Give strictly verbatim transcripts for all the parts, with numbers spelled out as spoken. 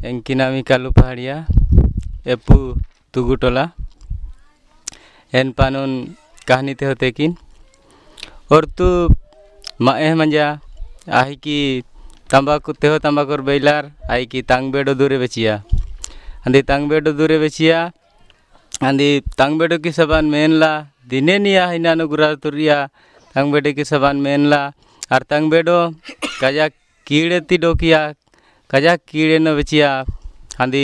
एंकिनामी कालू पहाड़िया एपू तुगुटोला N पानून कहानी ते होते किन और तू माए मंजा आही की तंबाकू तेहो तंबाकूर बेलार आई की तांग बेडो दूरे बेचिया आंदी तांग बेडो दूरे बेचिया आंदी तांग बेडो की सबान मेनला दिने निया हिनानो गुरा तुरिया तांग बेडे की सबान मेनला और तांग बेडो काजा कीड़े ती डोकिया काजा कीड़े न बेचिया आंदी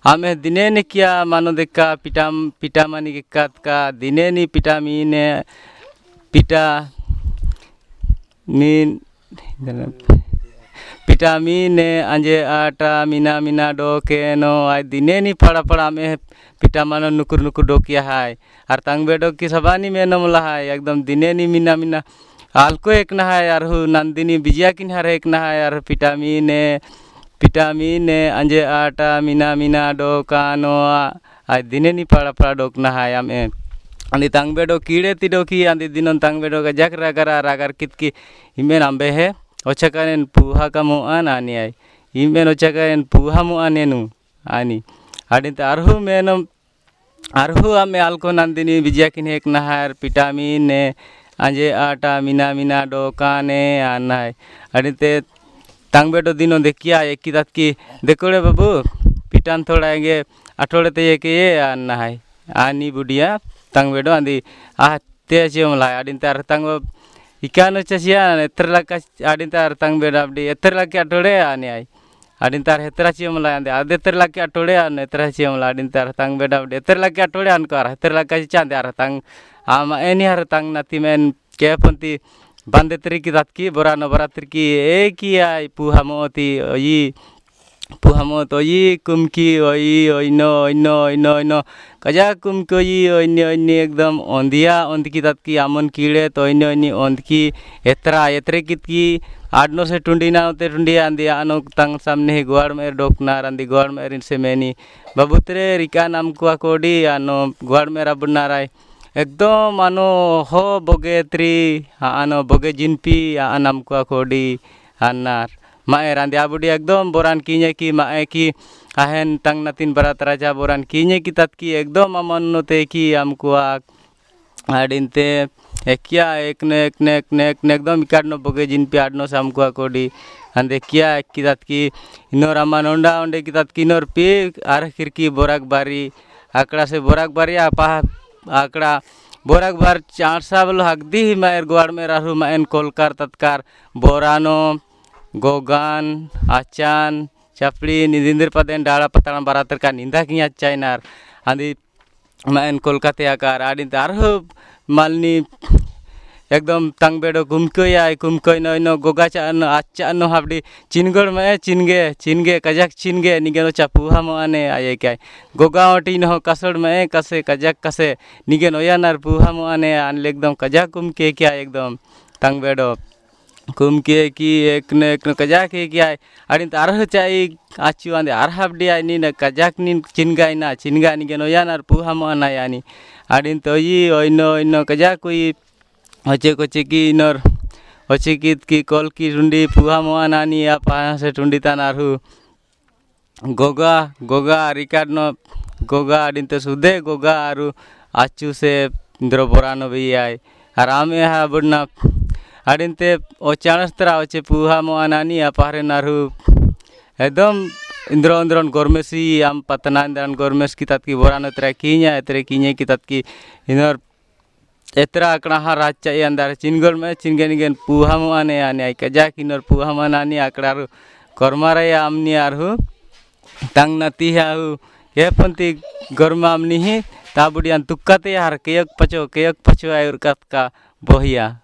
आमे दिने ने किया मानो देखा पिटाम पिटा मानी के कात का दिने नी पिटा मीने पिटा मीन पिटा मीने अंजे आटा मीना मीना डोके नो आय दिने नी फड़ा फड़ा में पिटा मानो नुकुर नुकुर डोकिया हाय और तांग बेडो की सबानी में नमला हाय एकदम दिने नी मीना मीना आलको एक ना है और नंदिनी बिजिया किन हर एक ना है और पिटा मीने पिटा मीने अंजे आटा मीना मीना डोकानो आय दिने नी फड़ा फड़ा डोकना हाय आमे आंदी तांग बेडो कीड़े ती डोकी आंदी दिनों तांग बेडो का जक रागरा रागर कितकी इमेन आंबे है ओचकानेन पुहा का मोआन आनी आई इमेन ओचकानेन पुहा मोआनेनु आनी आडिन आरहु मेनम आरहु आमे आलको नंदिनी बिजिया किन एक नहार पिटामीन ने अंजे आटा मीना मीना डोकाने आना है आडिन तांग बेडो दिनों देखिया एक की दात की देखोड़े बाबू पिटान थोड़ा आएंगे अठोड़े ते एक ये आना है आनी बुढ़िया तांग बेडो आंदी आ ते चेमला आडिन तार तांग इकानो चसिया एतर लका आडिन तार तांग बेडो abdi एतर लके अठोड़े आने आई आडिन तार हेतरा चेमला आंदे आदे एतर लके अठोड़े आन एतरा चेमला आडिन तार तांग बेडो abdi एतर लके अठोड़े आन को हेतर लका चांदे are तांग आमा एनी हर तांग नाती मेन के पंती बांदे तरीकी दात की बोरा नवरात्रि की एक ही आई पुहा मोती ओई पुहा मोत ओई कुमकी ओई ओइनो ओइनो ओइनो ओइनो कजा कुमकी ओई ओइनी ओइनी एकदम ओंदिया ओंदकी दात की आमन कीड़े तो ओइनी ओइनी ओंदकी एतरा एतरे कित की आडनो से टुंडी ना होते टुंडी आंदी आनो तंग सामने ही ग्वाड़ में डोकनार आंदी ग्वाड़ में से मैनी बाबूतरे रिका नाम कुआ कोडी आनो ग्वाड़ में रबनाराय एकदम आनो हो बोगे त्री आनो बोगे जिनपी आनाम कुआ कोडी आनार माए रांदे आबुडी एकदम बोरान कीने की माए की आहेन तंग नतीन बरात राजा बोरान कीने की तत की एकदम अमन नोते की हमकुआ आडिनते एकिया एक ने एक ने एक ने एक ने एकदम इकाडनो बोगे जिनपी आडनो से हमकुआ कोडी आंदे किया एक की तत की इनोर अमन ओंडा ओंडे की तत की इनोर पी are खिरकी बोराक बारी आकड़ा से बोराक बारी आपा आकड़ा बोराक बार चार साबल हकदी ही माएर ग्वाड़ में राहु माएन कोलकार तत्कार बोरानो गोगान आचान चापड़ी निदिंदर पदेन डाड़ा पताड़ा बारातर का निंदा किया चाइनार आंदी माएन कोलकाते आकार आडिन आरहु मालनी एकदम तंग बेडो कुमकोय आय कुमकोय नो नो गोगा चा नो आचा नो हाबडी चिनगड़ में चिनगे चिनगे कजाक चिनगे निगे नो चापुहा मोआने आये काय गोगा ओटी नो कसड़ में कसे कजाक कसे निगे नोया नार पुहा मोआने आन एकदम कजाक कुमके क्या एकदम तंग बेडो कुमके की एक ने एक ने कजाक के क्या आडिन आरह चाई आचु आंदे आर हाबडी आय नी न कजाक नी चिनगाय ना चिनगा निगे नोया नार पुहा मोआना यानी आडिन तोई ओइनो ओइनो कजाक कोई होचे कोचे की इनर होचे की की कल की टुंडी पुहा मोआ नानी या पाहा से टुंडी तान आरहु गोगा गोगा रिकार्ड नो गोगा आडिनते सुदे गोगा आरु आचू से इंद्रो बोरानो भी आय और आमे हा बुडना आडिनते ओ चाणस्तरा होचे पुहा मोआ नानी या पाहरे नारहु एकदम इंद्रो इंद्रन गोरमेसी आम पतना इंद्रन गोरमेस की तत की बोरानो तरा कीnya एतरे कीnya की तत की इनर एतरा आकड़ा हा राज चाई अंदर चिनगोल में चिनगे निगेन पुहा मोआने आने आई कजा किनर पुहा मनानी आकड़ा रु कर्मारे आमनी आरहु तंग नती हाहु ये पंती गरमा आमनी ही ताबुडियान तुक्काते हर केयक पचो केयक पचो आयुर कत का बोहिया।